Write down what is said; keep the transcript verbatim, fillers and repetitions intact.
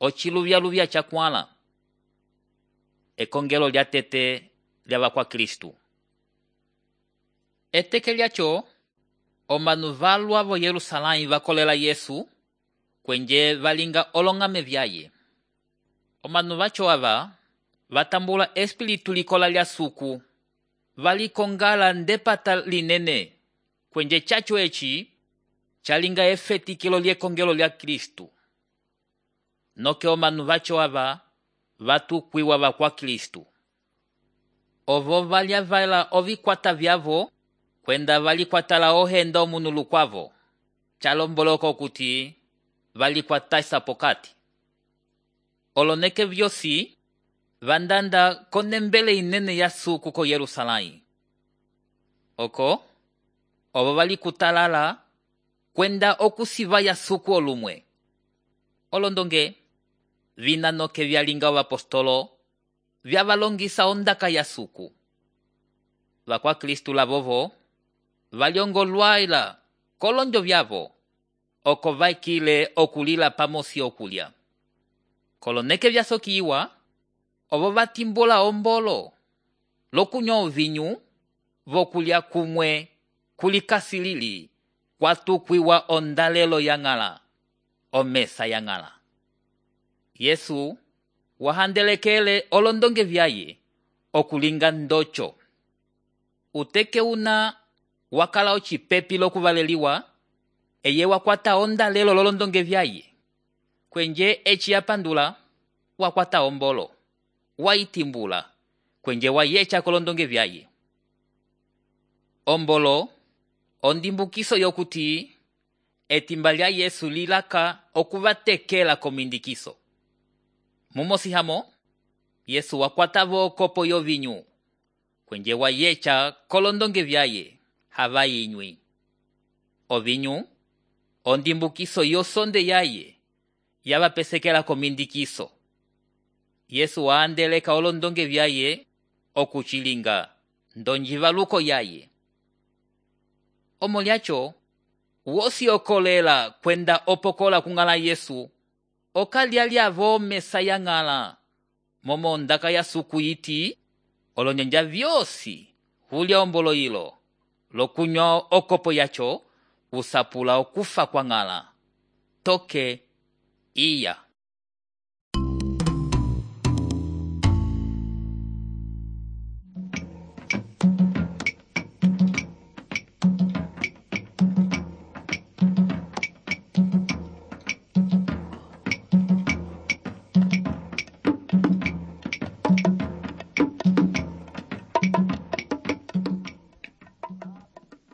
ociluvya-luvya cakwãla. Ekongelo lya tete lyava kwa Kristu. Eteke lyaco, omanu valwa vo Yerusalãyi vakolela Yesu, kwenje valinga olongame vyaye. Omanu vaco ava vatambula espiritu likola lya suku, valikongala ndepata linene, kwenje caco eci calinga efetikilo lyekongelo lya Kristu. Noke omanu vaco ava vatukwiwa va kwa Kristu. Ovo valya vala ovikwata vyavo, kwenda valikwatala ohenda omunu lukwavo, calomboloka okuti valikwatasa pokati. Oloneke vyosi vandanda konembele inene ya suku ko Yerusalãyi. Oko, ovo valikutalala kwenda okusiva ya suku olumwe. Olondonge, vina noke vyalinga ovapostolo, vyavalongisa ondaka ya suku. Vakwa Kristu lavovo, valyongolwaila kolonjo vyavo, oko vaikile okulila pamosi okulya. Koloneke vyasokiwa, ovo vatimbula ombolo, lokunywa ovinyu, vokulya kumwe, kulikasilili, kwatukwiwa ondalelo yang'ala, omesa yang'ala. Yesu wahandelekele olondonge vyaye, okulinga ndocho. Uteke una wakala ocipepi lokuvaleliwa, eye wakwata ondalelo lolondonge vyaye. Kwenje eci yapandula, wakwata ombolo, waitimbula, kwenje wayecha kolondonge vyaye. Ombolo, ondimbukiso yokuti, etimba lya Yesu lilaka okuvatekela komindikiso. Mumosihamo, Yesu wakwata vo kopo yovinyu, kwenje wayecha kolondonge vyaye, hava inywi. Ovinyu, ondimbukiso yosonde yaye, yavapesekela komindikiso. Yesu waandeleka olondonge vyaye, okuchilinga, ndonjivaluko yaye. Omo lyacho, wosi okolela kwenda opokola kung'ala Yesu, okalya lyavo mesa yang'ala, momo ondaka ya suku iti, olonyanja vyosi, hulya ombolo ilo, lokunywa okopo yacho, usapula okufa kwa ng'ala. Toke, iya.